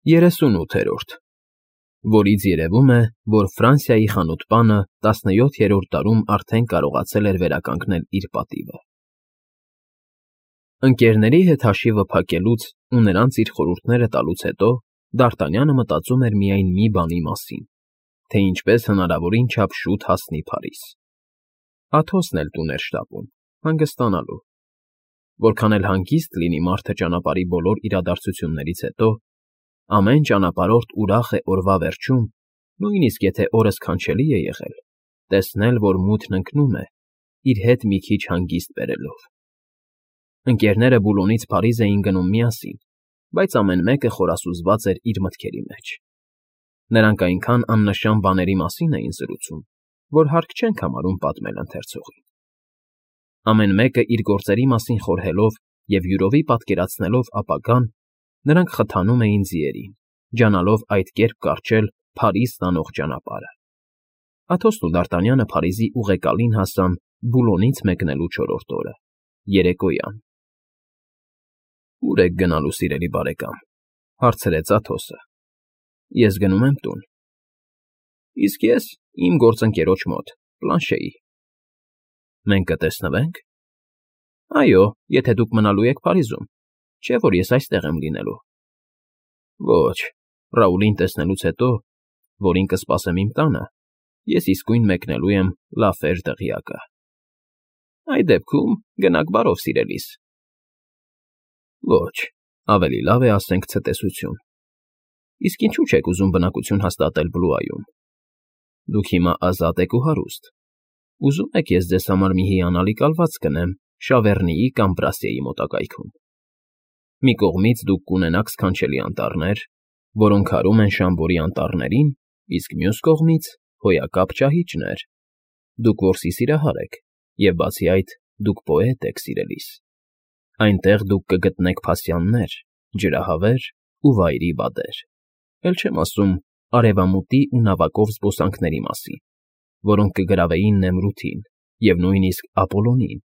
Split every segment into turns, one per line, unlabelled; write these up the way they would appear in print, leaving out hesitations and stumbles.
38-րդ, որից երևում է, որ Ֆրանսիայի խանութպանը 17-րդ դարում արդեն կարողացել էր վերականգնել իր պատիվը։ Ընկերների հետ հաշիվը փակելուց ու նրանց իր խորհուրդները տալուց հետո Դ'Արտանյանը մտածում էր միայն մի բանի մասին, թե ինչպես հնարավորին չափ շուտ հասնի Փարիզ։ Աթոսն էլ տուն էր շտապում, հանգստանալու։ Որքան էլ հանգիստ լինի մարդը ճանապարհի բոլոր իրադարձություններից հետո, ամեն ճանապարհորդ ուրախ է օրվա վերջում, նույնիսկ եթե օրը սքանչելի է եղել, տեսնել, որ մութն ընկնում է, իր հետ մի քիչ հանգիստ բերելով։ Ընկերները Բուլոնից Փարիզ էին գնում միասին, բայց ամեն մեկը խորասուզված էր իր մտքերի մեջ։ Նրանք այնքան աննշան բաների մասին էին զրուցում, որ հարկ չենք համարում պատմել ընթերցողին։ Ամեն մեկը իր գործերի մասին խորհելով և յուրովի պատկերացնելով ապագան, նրանք խթանում էին ձիերին, ջանալով այդ կերպ կարճել Փարիզ տանող ճանապարհը։ Աթոսն ու Դ'Արտանյանը Փարիզի ուղեկալին հասան Բուլոնից մեկնելու չորրորդ օրը, երեկոյան։ «Ո՞ւր եք գնալու, սիրելի բարեկամ,֊ հարցրեց Աթոսը։ Ես գնում եմ տուն։ Իսկ ես իմ գործընկերոջ մոտ, Պլանշեի։ Մենք կտեսնվե՞նք։ Այո, եթե դուք մնալու եք Փարիզում, չէ՞ որ ես այստեղ եմ լինելու։ Ոչ, Ռաուլին տեսնելուց հետո, որին կսպասեմ իմ տանը, ես իսկույն մեկնելու եմ Լաֆեր դղյակը։ Այդ դեպքում գնաք բարով, սիրելիս։ Ոչ, ավելի լավ է ասենք ցտեսություն։ Իսկ ինչու՞ չեք ուզում բնակություն հաստատել Բլուայում։ Դուք հիմա ազատ եք ու հարուստ։ Ուզում եք ես ձեզ համար մի հիանալի կալված գնեմ Շավեռնիի կամ Բրասիեի մոտակայքում։ Մի կողմից դուք կունենաք սքանչելի անտառներ, որոնք հարում են Շամբորի անտառներին, իսկ մյուս կողմից հոյակապ ճահիճներ։ Դուք որսի սիրահար եք, և բացի այդ, դուք պոետ եք, սիրելիս։ Այնտեղ դուք կգտնեք փասյաններ, ջրահավեր ու վայրի բադեր, էլ չեմ ասում արևամուտի ու նավակով զբոսանքների մասին, որոնք կգրավեին Նեմրութին և նույնիսկ Ապոլոնին։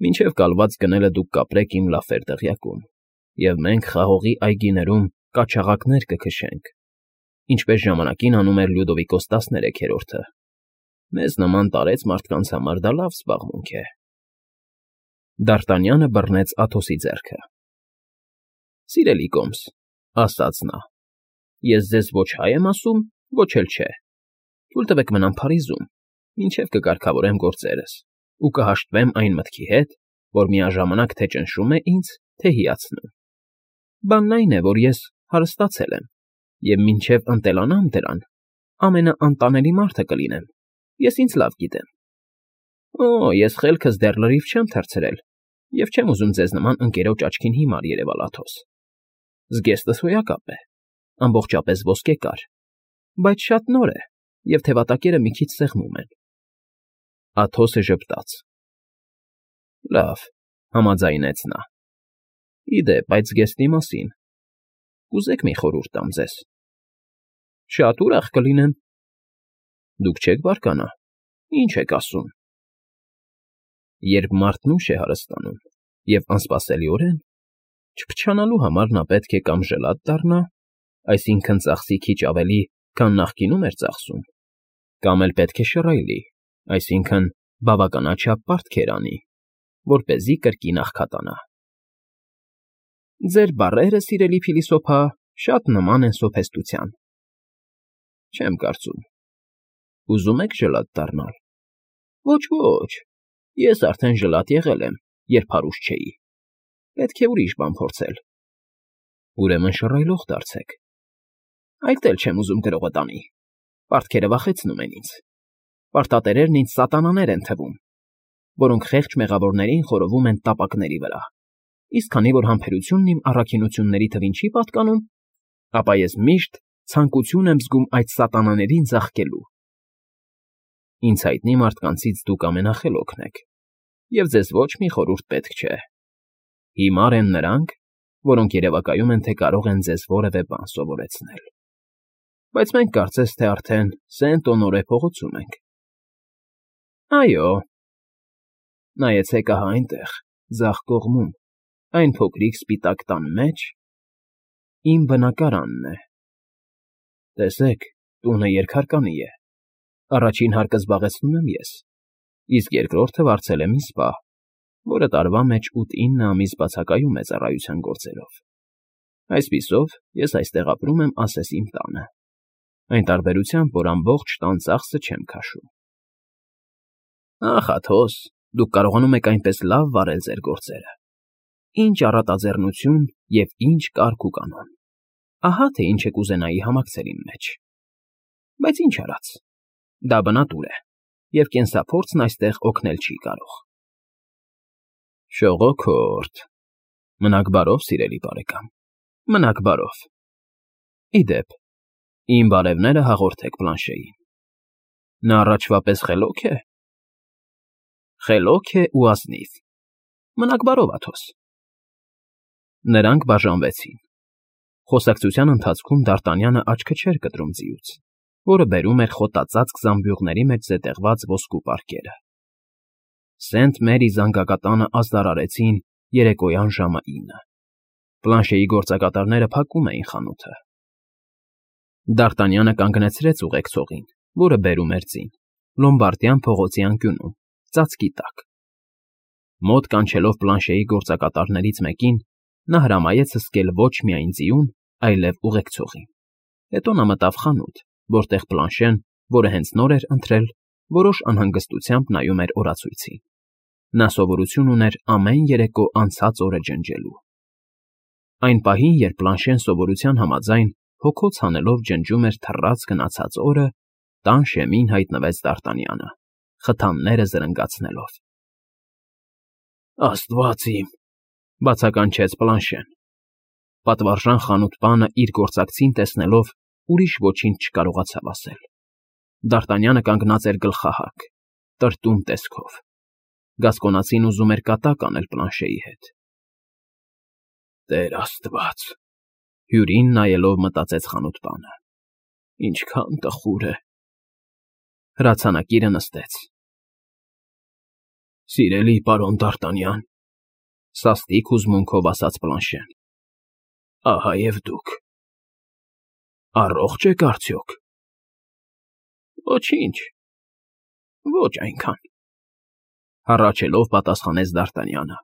Մինչև կալված գնելը դուք կապրեք իմ Լաֆեր դղյակում, և մենք խաղողի այգիներում կաչաղակներ կքշենք, ինչպես ժամանակին անում էր Լյուդովիկոս 13-րդը։ Մեզ նման տարեց մարդկանց համար դա լավ զբաղմունք է։ Դ'Արտանյանը բռնեց Աթոսի ձեռքը։ Սիրելի կոմս, ասաց նա, ես ձեզ ոչ հայ եմ ասում, ոչ էլ չէ։ Թույլ տվեք մնամ Փարիզում, մինչև կկարգավորեմ գործերս ու կհաշտվեմ այն մտքի հետ, որ միաժամանակ թե ճնշում է ինձ, թե հիացնում։ Բանն այն է, որ ես հարստացել եմ, և մինչև ընտելանամ դրան, ամենաանտանելի մարդը կլինեմ, ես ինձ լավ գիտեմ։ Օ, ես խելքս դեռ լրիվ չեմ թռցրել և չեմ ուզում ձեզ նման ընկերոջ աչքին հիմար երևալ, Աթոս։ Զգեստս հոյակապ է, ամբողջապես ոսկեկար, բայց շատ նոր է, և թևատակերը մի քիչ սեղմում են։ Աթոսը ժպտաց։ Լավ, համաձայնեց նա։ Ի դեպ, այդ զգեստի մասին կուզեք մի խորհուրդ տամ ձեզ։ Շատ ուրախ կլինեմ։ Դուք չեք բարկանա, ինչ եք ասում։ Երբ մարդն ուշ է հարստանում և անսպասելիորեն, չփչանալու համար նա պետք է կամ ժլատ դառնա, այսինքն ծախսի քիչ ավելի, քան նախկինում էր ծախսում, կամ էլ պետք է շռայլի, այսինքն բավականաչափ պարտքեր անի, որպեսզի կրկին աղքատանա։ Ձեր բառերը, սիրելի փիլիսոփա, շատ նման են սոփեստության։ Չեմ կարծում։ Ուզում եք ժլատ դառնալ։ Ոչ, ոչ, ես արդեն ժլատ եղել եմ, երբ հարուստ չէի։ Պետք է ուրիշ բան փորձել։ Ուրեմն շռայլող դարձեք։ Այդ էլ չեմ ուզում գրողը տանի։ Պարտքերը վախեցնում են ինձ։ Պարտատերերն ինձ սատանաներ են թվում, որոնք խեղճ մեղավորներին խորովում են տապակների վրա։ Իսկ քանի որ համբերությունն իմ առաքինությունների թվին չի պատկանում, ապա ես միշտ ցանկություն եմ զգում այդ սատանաներին ձաղկելու։ Ինձ հայտնի մարդկանցից դուք ամենախելոքն եք, և ձեզ ոչ մի խորհուրդ պետք չէ։ Հիմար են նրանք, որոնք երևակայում են, թե կարող են ձեզ որևէ բան սովորեցնել։ Բայց մենք կարծես թե արդեն Սենտ֊Օնորե փողոցում ենք։ Այո։ Նայեցեք ահա այնտեղ, ձախ կողմում, այն փոքրիկ սպիտակ տան մեջ։ Իմ բնակարանն է։ Տեսեք, տունը երկհարկանի է։ Առաջին հարկը զբաղեցնում եմ ես, իսկ երկրորդը վարձել եմ ինձ պահ, որը տարվա մեջ 8-9 ամիս բացակայում է ծառայության գործերով։ Այսպիսով, ես այստեղ ապրում եմ ասես իմ տանը, այն տարբերությամբ, որ ամբողջ տան ծախսը չեմ քաշում։ Ախ, Աթոս, դուք կարողանում եք այնպես լավ վարել ձեր գործերը։ Ինչ առատաձեռնություն և ինչ կարգ ու կանոն։ Ահա թե ինչ եք ուզենայի համակցել իմ մեջ։ Բայց ինչ արած, դա բնատուր է, և կենսափորձն այստեղ օգնել չի կարող։ Շողոքորթ, մնաք բարով, սիրելի բարեկամ, մնաք բարով։ Ի դեպ, իմ բարևները հաղորդեք Բլանշեին։ Նա առաջվա պես խելոք է։ Խելոք է ու ազնիվ։ Մնաք բարով, Աթոս։ Նրանք բաժանվեցին։ Խոսակցության ընթացքում Դ'Արտանյանը աչքը չէր կտրում ձիուց, որը բերում էր խոտածածկ զամբյուղների մեջ զետեղված ոսկու պարկերը։ Սենտ Մերի զանգակատանը ազդարարեցին երեկոյան ժամը 9։ Բլանշեի գործակատարները փակում էին խանութը։ Դ'Արտանյանը կանգնեցրեց ուղեկցողին, որը բերում էր ձին, Լոմբարդյան փողոցի անկյունում, ծածկի տակ։ Մոտ կանչելով Բլանշեի գործակատարներից մեկին, նա հրամայեց հսկել ոչ միայն ձիուն, այլև ուղեկցողին։ Հետո նա մտավ խանութ, որտեղ Բլանշեն, որը հենց նոր էր ընթրել, որոշ անհանգստությամբ նայում էր օրացույցին։ Նա սովորություն ուներ ամեն երեկո անցած օրը ջնջելու։ Այն պահին, երբ Բլանշեն սովորության համաձայն հոգոց հանելով ջնջում էր թռած գնացած օրը, տան շեմին հայտնվեց Դ'Արտանյանը, խթանները զրնգացնելով։ Աստված իմ, բացականչեց Բլանշեն։ Պատվարժան խանութպանը իր գործակցին տեսնելով ուրիշ ոչինչ չկարողացավ ասել։ Դ'Արտանյանը կանգնած էր գլխահակ, տրտում տեսքով։ Գասկոնացին ուզում էր կատակ անել Բլանշեի հետ։ Տեր Աստված, հյուրին նայելով մտածեց խանութպանը։ Ինչքան տխուր է։ Հրացանակիրը նստեց։ Սիրելի պարոն Դ'Արտանյան, սաստիկ հուզմունքով ասաց Բլանշեն։ Ահա և դուք։ Առողջ եք արդյոք։ Ոչինչ։ Ոչ այնքան։ Հառաչելով պատասխանեց Դ'Արտանյանը։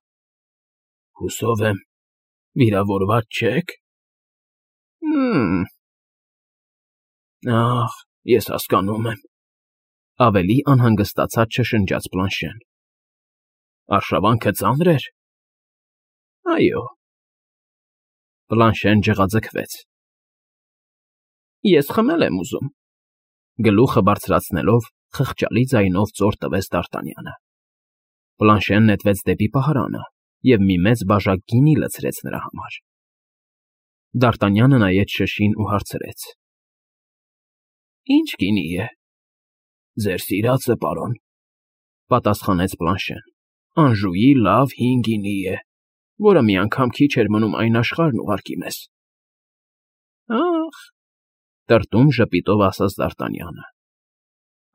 Հուսով եմ, վիրավորված չեք։ Ախ, ես հասկանում եմ։ Ավելի անհանգստացած շշնջաց Բլանշեն։ Արշավանքը ծանր էր։ Այո։ Բլանշեն ջղաձգվեց։ Ես խմել եմ ուզում։ Գլուխը բարձրացնելով խղճալի ձայնով ծոր տվեց Դ'Արտանյանը։ Բլանշեն նետվեց դեպի պահարանը և մի մեծ բաժակ գինի լցրեց նրա համար։ Դ'Արտանյանը նայեց շշին ու հարցրեց. Ինչ գինի է։ Ձեր սիրածը, պարոն, պատասխանեց Բլանշեն։ Անժուի լավ հին գինի է, որը մի անգամ քիչ էր մնում այն աշխարհն ուղարկի մեզ։ Ախ, տրտում ժպիտով ասաց Դ'Արտանյանը։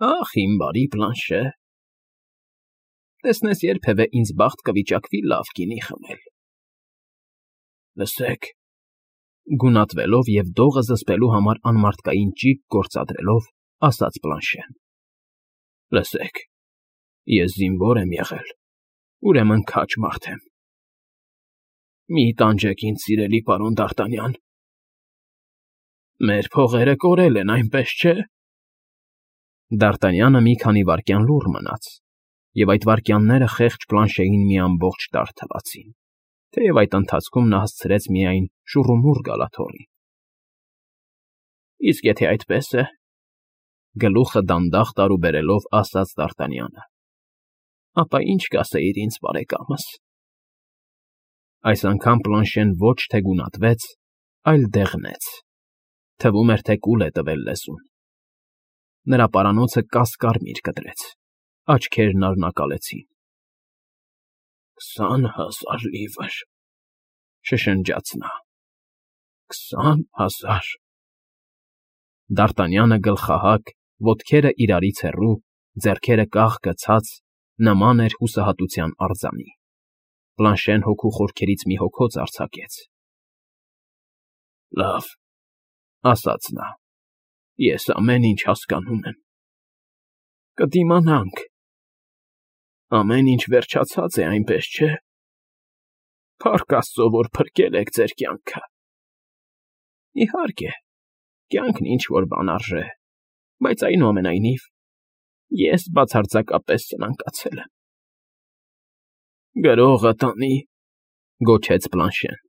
Ախ, իմ բարի Բլանշե։ Տեսնես երբևէ ինձ բախտ կվիճակվի լավ գինի խմել։ Լսեք, գունատվելով և դողը զսպելու համար անմարդկային ճիգ գործադրելով, ասաց Բլանշեն։ Լսեք, ես զինվոր եմ եղել, ուրեմն քաջ մարդ եմ։ Մի տանջեք ինձ, սիրելի պարոն Դ'Արտանյան։ Մեր փողերը կորել են, այնպես չէ։ Դ'Արտանյանը մի քանի վայրկյան լուռ մնաց, և այդ վայրկյանները խեղճ Բլանշեին մի ամբողջ տարր թվացին, թեև այդ ընթացքում նա հասցրեց միայն շուռումուռ գալ աթոռին։ Իսկ եթե այդպես է, գլուխը դանդաղ տարուբերելով ասաց Դ'Արտանյանը, ապա ինչ կասեիր ինձ, բարեկամս։ Այս անգամ Բլանշեն ոչ թե գունատվեց, այլ դեղնեց։ Թվում էր, թե կուլ է տվել լեզուն։ Նրա պարանոցը կաս֊կարմիր կտրեց, աչքերն արնակալեցին։ 20,000 լիվր, շշնջաց նա։ 20,000։ Դ'Արտանյանը գլխահակ, ոտքերը իրարից հեռու, ձեռքերը կաղ գցած, նման էր հուսահատության արձանի։ Բլանշեն հոգու խորքերից մի հոգոց արձակեց։ Լավ, ասաց նա, ես ամեն ինչ հասկանում եմ։ Կդիմանանք։ Ամեն ինչ վերջացած է, այնպես չէ։ Փառք Աստծո, որ փրկել եք ձեր կյանքը։ Իհարկե, կյանքն ինչ-որ բան արժե, բայց այնուամենայնիվ ես բացարձակապես սնանկացել եմ։ Գրողը տանի, գոչեց Բլանշեն։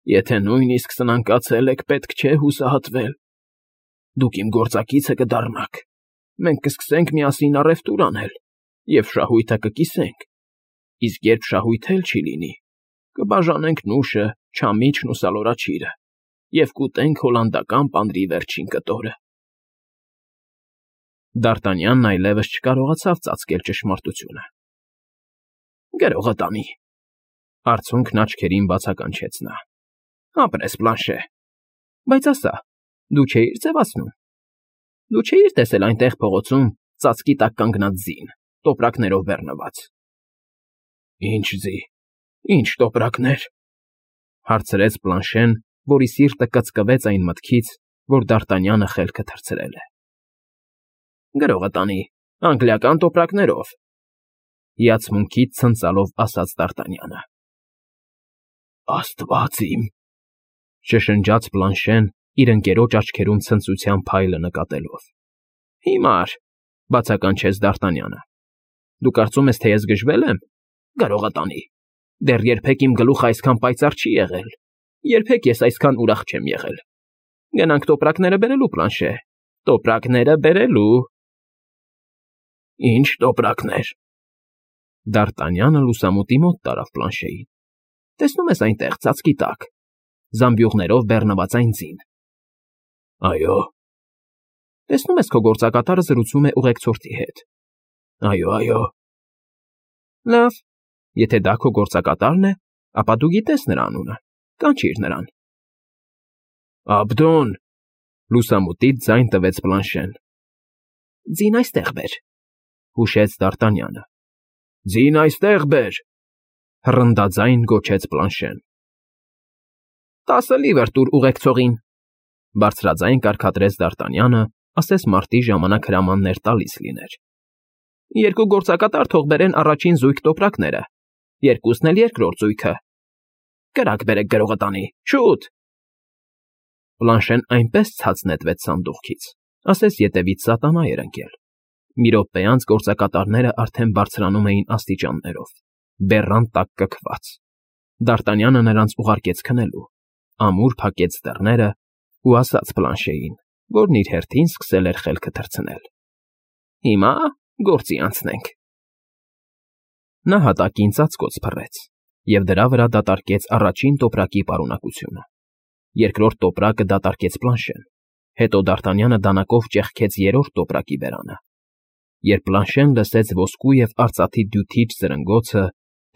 Եթե նույնիսկ սնանկացել եք, պետք չէ հուսահատվել։ Դուք իմ գործակիցը կդառնաք, մենք կսկսենք միասին առևտուր անել և շահույթը կկիսենք, իսկ երբ շահույթ էլ չի լինի, կբաժանենք նուշը, չամիչն ու սալորաչիրը և կուտենք հոլանդական պանրի վերջին կտորը։ Դ'Արտանյանն այլևս չկարողացավ ծածկել ճշմարտությունը։ Գրողը տանի, արցունքն աչքերին բացականչեց նա։ Ապրես, Բլանշե, բայց ասա, դու չէիր ձևացնում։ Դու չէիր տեսել այնտեղ փողոցում ծածկի տակ կանգնած ձին, տոպրակներով բեռնված։ Ինչ ձի, ինչ տոպրակներ, հարցրեց Բլանշեն, որի սիրտը կծկվեց այն մտքից, որ Դ'Արտանյանը խելքը թռցրել է։ Գրողը տանի, անգլիական տոպրակներով, հիացմունքից ցնծալով ասաց Դ'Արտանյանը։ Աստված իմ, շշնջաց Բլանշեն, իր ընկերոջ աչքերում ցնծության փայլը նկատելով։ Հիմար, բացականչեց Դ'Արտանյանը։ Դու կարծում ես, թե ես գժվել եմ։ Գրողը տանի, դեռ երբեք իմ գլուխը այսքան պայծառ չի եղել, երբեք ես այսքան ուրախ չեմ եղել։ Գնանք տոպրակները բերելու, Բլանշե, տոպրակները բերելու։ Ինչ տոպրակներ։ Դ'Արտանյանը լուսամուտի մոտ տարավ Բլանշեին։ Տեսնում ես այնտեղ, ծածկի տակ, զամբյուղներով բեռնված այն ձին։ Այո։ Տեսնում ես քո գործակատարը զրուցում է ուղեկցորդի հետ։ Այո, այո։ Լավ, եթե դա քո գործակատարն է, ապա դու գիտես նրա անունը, կանչիր նրան։ Աբդոն, լուսամուտից ձայն տվեց Բլանշեն։ Ձին այստեղ բեր, հուշեց Դ'Արտանյանը։ Ձին այստեղ բեր, հռնդաձայն գոչեց Բլանշեն։ 10 լիվր տուր ուղեկցողին, բարձրաձայն կարգադրեց Դ'Արտանյանը, ասես մարտի ժամանակ հրամաններ տալիս լիներ։ 2 գործակատար թող բերեն առաջին զույգ տոպրակները, 2-ն էլ երկրորդ զույգը։ Կրակ բերեք, գրողը տանի, շուտ։ Բլանշեն այնպես ցած նետվեց սանդուղքից, ասես ետևից սատանա էր ընկել։ Մի րոպե անց գործակատարները արդեն բարձրանում էին աստիճաններով, բեռան տակ կքված։ Դ'Արտանյանը նրանց ուղարկեց քնելու, ամուր փակեց դռները ու ասաց Բլանշեին, որն իր հերթին սկսել էր խելքը թռցնել. Հիմա գործի անցնենք։ Նա հատակին ծածկոց փռեց և դրա վրա դատարկեց առաջին տոպրակի պարունակությունը։ Երկրորդ տոպրակը դատարկեց Բլանշեն, հետո Դ'Արտանյանը դանակով ճեղքեց երրորդ տոպրակի բերանը։ Երբ Բլանշեն լսեց ոսկու և արծաթի դյութիչ զրնգոցը,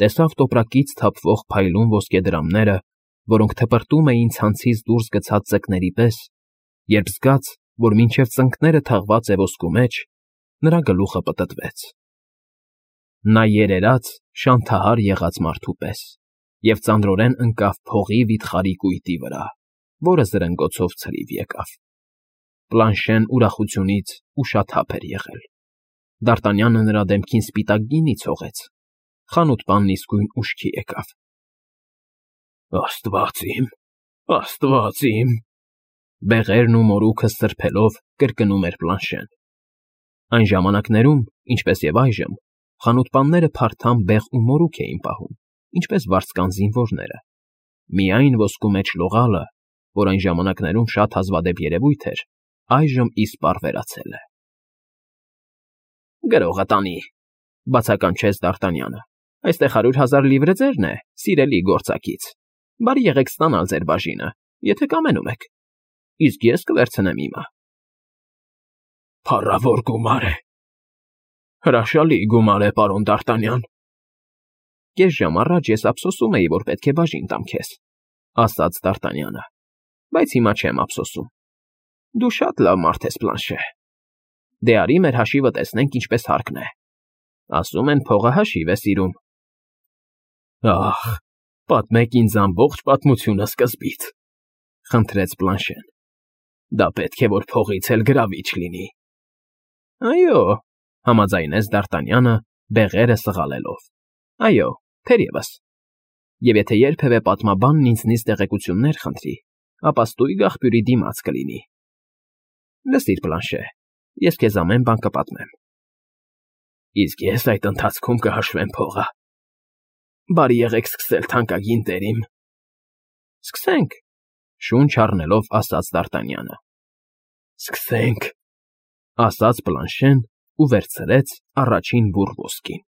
տեսավ տոպրակից թափվող փայլուն ոսկեդրամները, որոնք թպրտում էին ցանցից դուրս գցած ձկների պես, երբ զգաց, որ մինչև ծնկները թաղված է ոսկու մեջ, նրա գլուխը պտտվեց։ Նա երերաց, շանթահար եղած մարդու պես և ծանրորեն ընկավ փողի վիթխարի կույտի վրա, որը զրնգոցով ցրիվ եկավ։ Բլանշեն ուրախությունից ուշաթափ էր եղել։ Դ'Արտանյանը նրա դեմքին սպիտակ գինի ցողեց։ Խանութպանն իսկույն ուշքի եկավ։ Աստված իմ, բեղերն ու մորուքը սրբելով կրկնում էր Բլանշեն։ Այն ժամանակներում, ինչպես և այժմ, խանութպանները փարթամ բեղ ու մորուք էին պահում, ինչպես վարձկան զինվորները։ Միայն ոսկու մեջ լողալը, որ այն ժամանակներում շատ հազվադեպ երևույթ էր, այժմ իսպառ վերացել է։ Գրողը տանի, բացականչեց Դ'Արտանյանը։ Այստեղ 100,000 լիվրը ձերն է, սիրելի գործակից։ Բարի եղեք ստանալ ձեր բաժինը, եթե կամենում եք։ Իսկ ես կվերցնեմ իմը։ Փառավոր գումար է։ Հրաշալի գումար է, պարոն Դ'Արտանյան։ Կես ժամ առաջ ես ափսոսում էի, որ պետք է բաժին տամ քեզ, ասաց Դ'Արտանյանը, բայց հիմա չեմ ափսոսում։ Դու շատ լավ մարդ ես, Բլանշե։ Դե արի մեր հաշիվը տեսնենք ինչպես հարկն է։ Ասում են փողը հաշիվ է սիրում։ Ահ, պատմեք ինձ ամբողջ պատմությունը սկզբից, Խնդրեց Բլանշեն։ Դա պետք է որ փողից էլ գրավիչ լինի։ Այո, համաձայնեց Դ'Արտանյանը, բեղերը սղալելով։ Այո, թերևս։ Եվ եթե երբևէ պատմաբանն ինձնից տեղեկություններ խնդրի, ապա ստույգ աղբյուրի դիմաց կլինի։ Լսիր, Բլանշե, ես քեզ ամեն բան կպատմեմ։ Իսկ ես այդ ընթացքում կհաշվեմ փողը։ Բարի եղեք սկսել, թանկագին տերիմ։ Սկսենք, շունչ առնելով ասաց Դ'Արտանյանը։ Սկսենք, ասաց Բլանշեն ու վերցրեց առաջին բուռ ոսկին։